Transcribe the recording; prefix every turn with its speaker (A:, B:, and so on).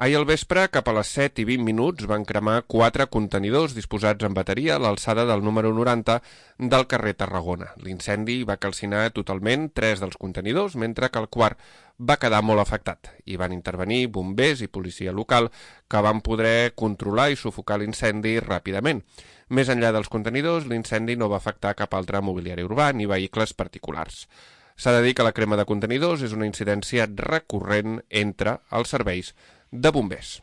A: Ahir al vespre, cap a les 7:20, van cremar 4 contenidors disposats en bateria a l'alçada del número 90 del carrer Tarragona. L'incendi va calcinar totalment 3 dels contenidors, mentre que el quart va quedar molt afectat. Hi van intervenir bombers i policia local que van poder controlar i sufocar l'incendi ràpidament. Més enllà dels contenidors, l'incendi no va afectar cap altre mobiliari urbà ni vehicles particulars. S'ha de dir que la crema de contenidors és una incidència recurrent entre els serveis de bombers.